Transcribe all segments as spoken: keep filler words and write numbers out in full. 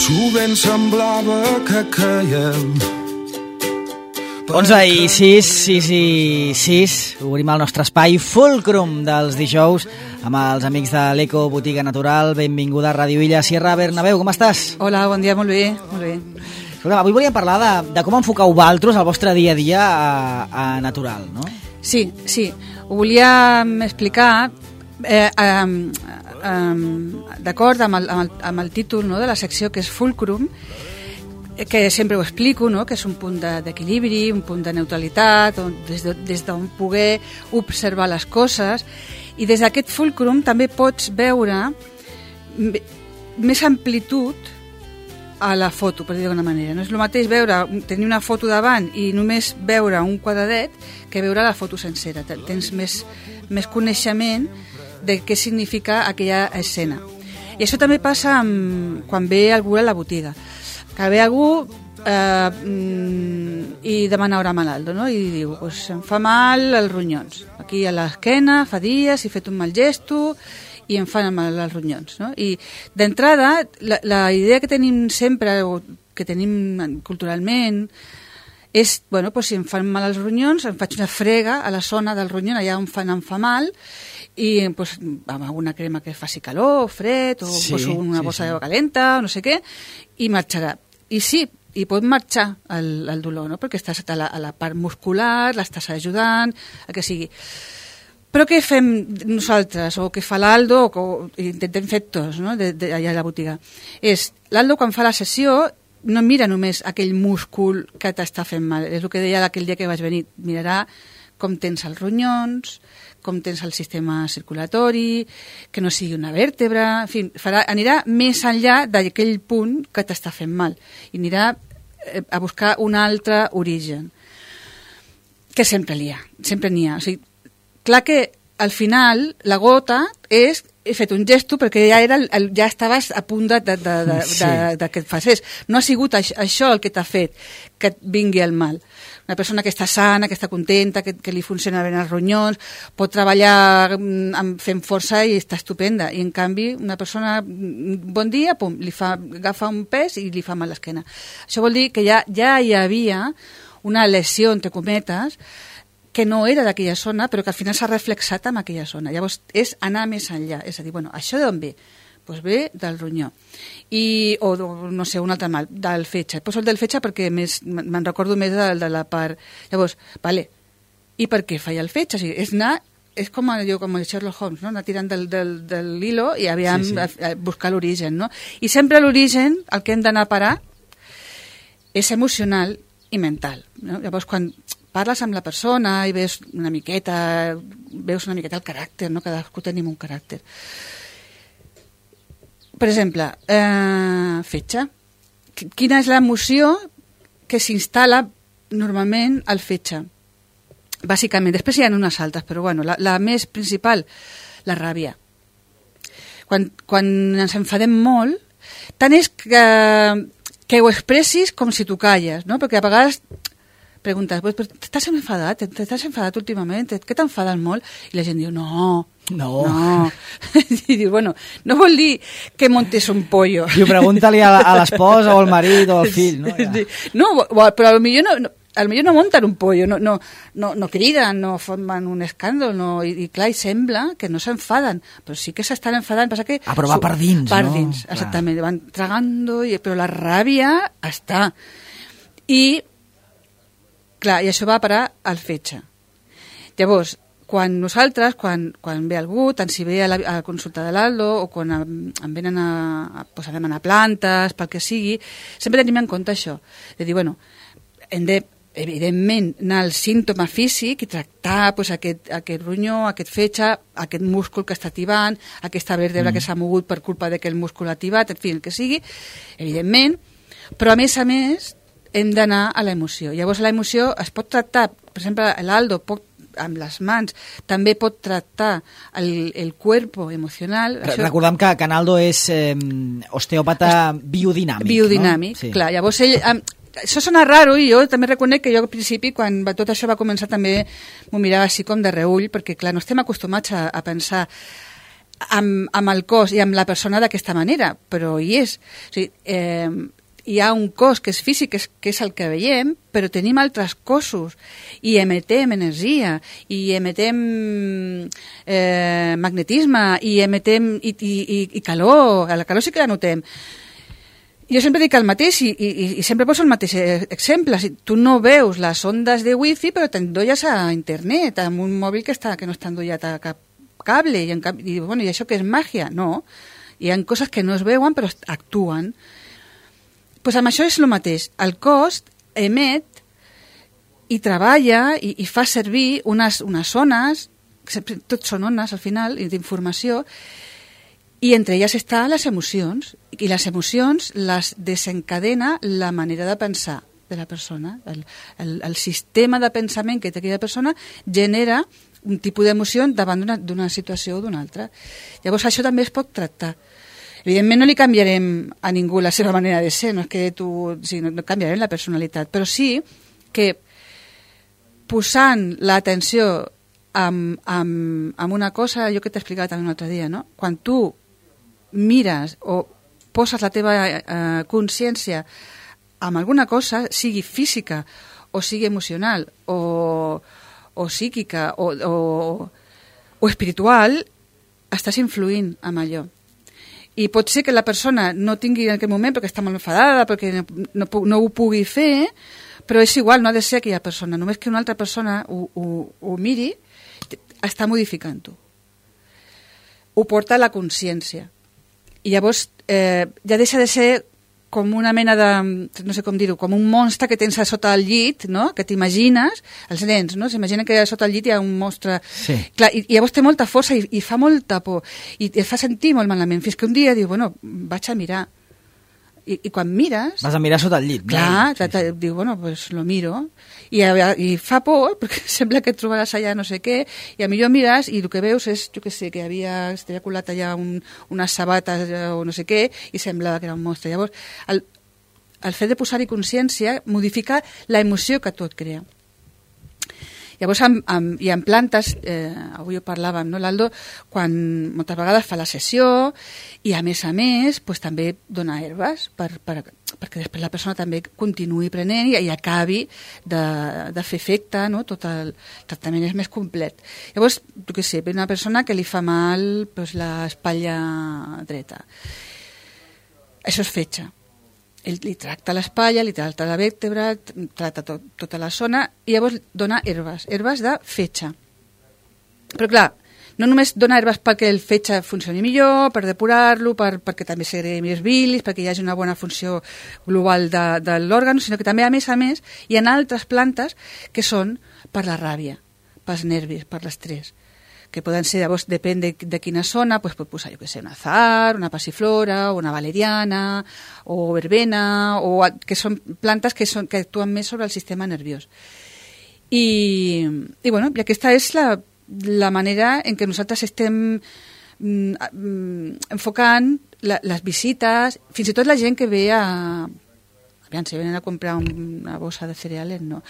sovint semblava que caiem. onze i sis, sis i sis, obrim el nostre espai Fulcrum dels dijous amb els amics de l'Eco Botiga Natural. Benvinguda a Ràdio Illa. Sierra Bernabéu, com estàs? Hola, bon dia, molt bé, molt bé. Escolta, avui volíem parlar de, de com enfocau vosaltres el vostre dia a dia a, a Natural, no? Sí, sí, ho volíem explicar eh, eh, eh, d'acord amb, el, amb, el, amb el títol, no, de la secció, que és Fulcrum, que sempre ho explico, no? Que és un punt d'equilibri, un punt de neutralitat, on, des d'on de, poder observar les coses, i des d'aquest fulcrum també pots veure més amplitud a la foto, per dir d'alguna manera. No és el mateix veure, tenir una foto davant i només veure un quadradet que veure la foto sencera. Tens més, més coneixement de què significa aquella escena. I això també passa amb, quan ve algú a la botiga. Que ve algú eh, i demana hora Manaldo, no? I diu, pues, em fa mal els ronyons. Aquí a l'esquena, fa dies, he fet un mal gesto i em fan mal els ronyons, no? I d'entrada, la, la idea que tenim sempre, o que tenim culturalment, és, bueno, pues, si em fan mal els ronyons, em faig una frega a la zona del ronyon, allà on fan, em fa mal, i pues, amb alguna crema que faci calor, fred, o sí, poso una bossa sí, sí. d'aigua calenta, o no sé què, i marxarà. I sí, i pot marxar el, el dolor, no? Perquè estàs a la, a la part muscular, l'estàs ajudant, el que sigui. Però què fem nosaltres, o què fa l'Aldo, o, o intentem fer tots, no? de, de, allà a la botiga? És, l'Aldo quan fa la sessió no mira només aquell múscul que t'està fent mal, és el que deia aquell dia que vaig venir, mirarà com tens els ronyons, com tens el sistema circulatori, que no sigui una vèrtebra, en fi, farà, anirà més enllà d'aquell punt que t'està fent mal i anirà a buscar un altre origen, que sempre n'hi ha, sempre n'hi ha. O sigui, clar que al final la gota és he fet un gesto perquè ja era el, ja estaves a punt de, de, de, de, sí. de, de que et facés. No ha sigut això, això el que t'ha fet que et vingui el mal. Una persona que està sana, que està contenta, que, que li funciona bé els ronyons, pot treballar amb, fent força i està estupenda. I en canvi, una persona, bon dia, pum, li fa, agafa un pes i li fa mal l'esquena. Això vol dir que ja, ja hi havia una lesió, entre cometes, que no era d'aquella zona, però que al final s'ha reflexat en aquella zona. Llavors, és anar més enllà. És a dir, bueno, això d'on ve? Doncs ve del ronyó. I, o, no sé, un altre mal, del fetge. Poso el del fetge perquè més, me'n recordo més de, de la part... Llavors, vale, i per què falla el fetge? O sigui, és anar... És com allò, com el Sherlock Holmes, no? Anar tirant del, del, del hilo i aviam sí, sí. A, a buscar l'origen, no? I sempre l'origen, el que hem d'anar a parar, és emocional i mental, no? Llavors, quan parles amb la persona i veus una miqueta, veus una miqueta el caràcter, no? Cadascú tenim un caràcter. Per exemple, eh, fetge. Quina és l'emoció que s'instal·la normalment al fetge? Bàsicament, després hi ha unes altres, però bueno, la, la més principal, la ràbia. Quan, quan ens enfadem molt, tant és que, que ho expressis com si tu calles, no? Perquè a vegades preguntes, però t'estàs enfadat? T'estàs enfadat últimament? Què t'enfaden molt? I la gent diu, no, no. no. I diu, bueno, no vol dir que montes un pollo. I pregunta-li a, a l'esposa o al marit o al fill, no? Ja. No, però potser no, no, potser no munten un pollo, no, no, no, no criden, no formen un escàndol, no, i, i clar, i sembla que no s'enfaden, però sí que s'estan enfadant. Passa que ah, però va per dins, per no? Per dins, exactament, clar. Van tragando, i, però la ràbia està. I clar, i això va a parar al fetge. Llavors, quan nosaltres, quan, quan ve algú, tant si ve a la, a la consulta de l'Aldo o quan em, em venen a, a, pues, a demanar plantes, pel que sigui, sempre tenim en compte això. De dir, bueno, hem de, evidentment, anar al símptoma físic i tractar pues, aquest, aquest ronyó, aquest fetge, aquest múscul que està tibant, aquesta vèrtebra mm. que s'ha mogut per culpa de que el múscul ha tibat, en fi, el que sigui, evidentment, però a més a més hem d'anar a l'emoció. Llavors l'emoció es pot tractar, per exemple, l'Aldo pot, amb les mans, també pot tractar el, el cuerpo emocional. Això... Recordem que Canaldo és eh, osteòpata biodinàmic. Biodinàmic, no? Sí. Clar. Llavors ell... Eh, això sona raro i jo també reconec que jo al principi, quan va, tot això va començar, també m'ho mirava així com de reull, perquè clar, no estem acostumats a, a pensar amb, amb el cos i amb la persona d'aquesta manera, però hi és. O sigui, eh, hi ha un cos que és físic, que és, que és el que veiem, però tenim altres cossos i emetem energia i emetem eh, magnetisme i emetem i, i, i, i calor, la calor sí que la notem. Jo sempre dic el mateix i, i, i sempre poso el mateix exemple. Si tu no veus les ondes de wifi, però t'endolles a internet, amb un mòbil que, està, que no està endollat a cap cable. I, en cap, i, bueno, I això que és màgia? No. Hi ha coses que no es veuen, però actuen. Pues amb això és el mateix. El cos emet i treballa i, i fa servir unes, unes ones, tot són ones al final, d'informació, i entre elles estan les emocions, i les emocions les desencadena la manera de pensar de la persona. El, el, el sistema de pensament que té aquella persona genera un tipus d'emoció davant d'una situació o d'una altra. Llavors això també es pot tractar. Evidentment no li canviarem a ningú la seva manera de ser, no és que tu, o sigui, no, no canviarem la personalitat, però sí que posant l'atenció amb, amb, amb una cosa, jo que t'he explicat també un altre dia, no? Quan tu mires o poses la teva eh, consciència amb alguna cosa, sigui física o sigui emocional o, o psíquica o, o, o espiritual, estàs influint amb allò. I pot ser que la persona no tingui en aquell moment perquè està molt enfadada, perquè no, no, no ho pugui fer, però és igual, no ha de ser aquella persona. Només que una altra persona ho, ho, ho miri, està modificant-ho. Ho porta a la consciència. I llavors eh, ja deixa de ser com una mena de, no sé com dir-ho, com un monstre que tens a sota el llit, no? Que t'imagines, els nens, no? S'imaginen que a sota el llit hi ha un monstre. Sí. Clar, i, i llavors té molta força i, i fa molta por. I et fa sentir molt malament. Fins que un dia diu, bueno, vaig a mirar. I, i quan mires... Vas a mirar sota el llit. Clar, no? Sí, sí. Diu, bueno, pues lo miro. I, i fa por, perquè sembla que et trobaràs allà no sé què, i a millor mires i el que veus és, jo què sé, que havia, havia colat allà un, unes sabates o no sé què, i semblava que era un monstre. Llavors, el, el fet de posar-hi consciència modifica la emoció que tu et crea. Llavors, amb, amb, i en plantes, eh, avui ho parlàvem, no, l'Aldo, quan moltes vegades fa la sessió i, a més a més, pues, també dona herbes per, per, perquè després la persona també continuï prenent i, i acabi de, de fer efecte, no? Tot el tractament és més complet. Llavors, tu què sé, ve una persona que li fa mal pues, l'espatlla dreta. Això és fetge. Ell li tracta l'espatlla, li tracta la vèrtebra, tracta tot, tota la zona i llavors dona herbes, herbes de fetge. Però clar, no només dona herbes perquè el fetge funcioni millor, per depurar-lo, per, perquè també segregui més bilis, perquè hi hagi una bona funció global de, de l'òrgan, sinó que també, a més a més, hi ha altres plantes que són per la ràbia, pels nervis, per l'estrès, que poden ser, llavors, depèn de, de quina zona, pues, pot posar, jo què sé, un azar, una passiflora, una valeriana, o verbena, o, que són plantes que, són, que actuen més sobre el sistema nerviós. I, i, bueno, i aquesta és la, la manera en què nosaltres estem mm, mm, enfocant la, les visites, fins i tot la gent que ve a... Aviam, si venen a comprar una bossa de cereales, no.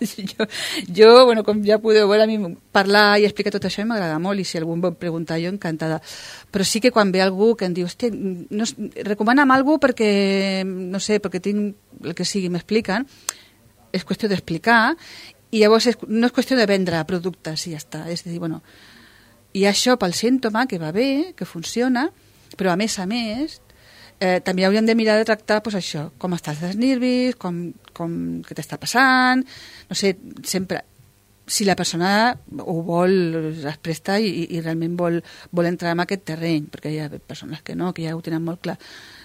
jo, jo, bueno, com ja podeu veure, a mi parlar i explicar tot això m'agrada molt, i si algú em vol preguntar, jo encantada. Però sí que quan ve algú que em diu, hòstia, no, recomana'm algú perquè, no sé, perquè tinc el que sigui, m'expliquen, és qüestió d'explicar, i llavors és, no és qüestió de vendre productes, i ja està. És a dir, bueno, i això pel símptoma, que va bé, que funciona, però a més a més... Eh, també hauríem de mirar de tractar pues, això, com estàs dels nervis, com, com, què t'està passant, no sé, sempre, si la persona ho vol, es presta i, i realment vol, vol entrar en aquest terreny, perquè hi ha persones que no, que ja ho tenen molt clar.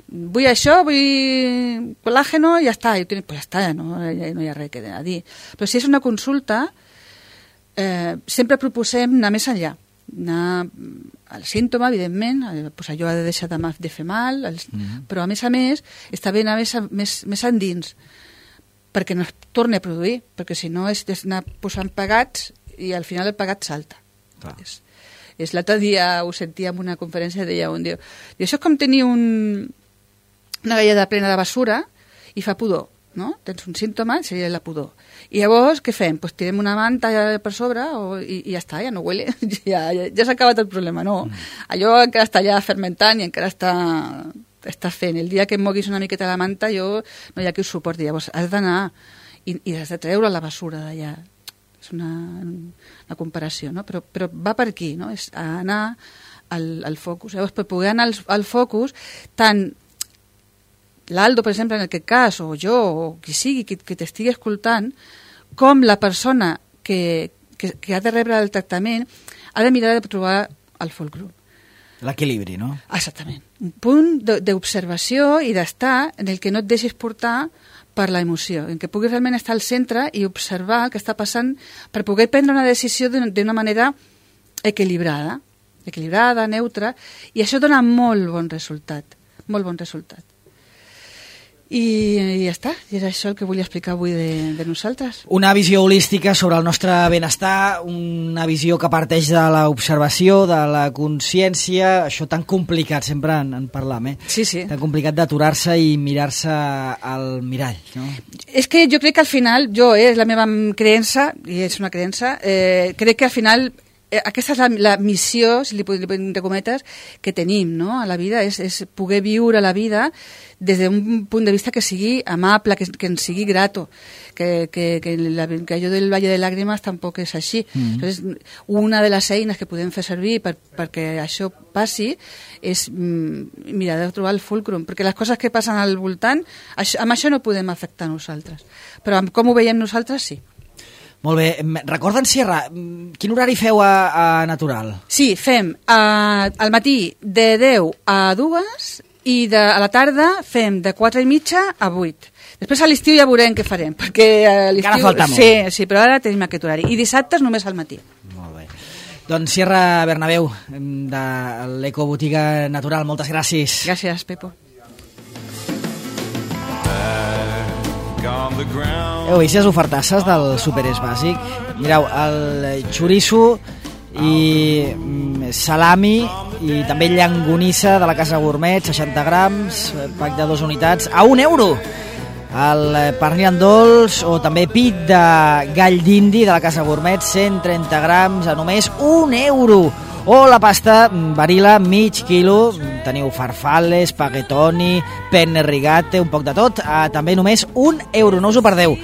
Vull això, vull col·làgeno, i ja està, i tenen, pues ja està, no, ja no hi ha res que a dir. Però si és una consulta, eh, sempre proposem anar més enllà, anar al símptoma, evidentment, pues allò ha de deixar de, de fer mal, els, mm-hmm. però a més a més està bé anar més, més, més endins perquè no es torni a produir, perquè si no és anar posant pegats i al final el pegat salta. Ah. És, és l'altre dia ho sentia en una conferència, deia un dia, i això és com tenir un, una galleda plena de basura i fa pudor. no? Tens un símptoma, seria la pudor. I llavors, què fem? Pues tirem una manta per sobre o, i, i ja està, ja no huele, ja, ja, ja s'ha acabat el problema, no. Mm. Allò encara està ja fermentant i encara està, està fent. El dia que em moguis una miqueta la manta, jo no hi ha qui ho suporti. Llavors, has d'anar i, i has de treure la basura d'allà. És una, una comparació, no? Però, però va per aquí, no? És anar al, al focus. Llavors, per poder anar al, al focus, tant l'Aldo, per exemple, en aquest cas, o jo, o qui sigui, que, que t'estigui escoltant, com la persona que, que, que ha de rebre el tractament ha de mirar de trobar el fulcrum. L'equilibri, no? Exactament. Un punt d'observació i d'estar en el que no et deixis portar per la emoció, en què puguis realment estar al centre i observar el que està passant per poder prendre una decisió d'una manera equilibrada, equilibrada, neutra, i això dona molt bon resultat, molt bon resultat. I, i ja està, i era això el que volia explicar avui de, de nosaltres. Una visió holística sobre el nostre benestar, una visió que parteix de l'observació, de la consciència, això tan complicat, sempre en, en parlam, eh? Sí, sí. Tan complicat d'aturar-se i mirar-se al mirall, no? És que jo crec que al final, jo, eh, és la meva creença, i és una creença, eh, crec que al final eh, aquesta és la, la missió, si li podem de cometes, que tenim, no?, a la vida, és, és poder viure la vida des d'un punt de vista que sigui amable, que, que ens sigui grato, que, que, que, la, que allò del Valle de Làgrimes tampoc és així. Mm. Entonces, una de les eines que podem fer servir per, perquè això passi és mm, mirar de trobar el fulcrum, perquè les coses que passen al voltant, això, amb això no podem afectar nosaltres, però amb com ho veiem nosaltres, sí. Molt bé. Recorda'm, Sierra, quin horari feu a, a Natural? Sí, fem uh, al matí de deu a dues i de, a la tarda fem de quatre i mitja a vuit. Després a l'estiu ja veurem què farem, perquè a l'estiu... Encara falta molt. Sí, sí, però ara tenim aquest horari. I dissabtes només al matí. Molt bé. Doncs Sierra Bernabéu, de l'Ecobotiga Natural, moltes gràcies. Gràcies, Pepo. Heu vist les ofertasses del Superés Bàsic? Mireu, el xoriço i salami i també llangonissa de la Casa Gourmet, seixanta grams, pack de dues unitats, a un euro. El pernil en dolç o també pit de gall d'indi de la Casa Gourmet, cent trenta grams, a només un euro. O la pasta Barilla, mig quilo, teniu farfalle, spaghettoni, penne rigate, un poc de tot, a també només un euro, no us ho perdeu.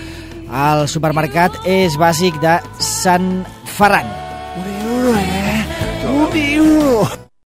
El supermercat és bàsic de Sant Ferran. Un euro, eh? Un euro!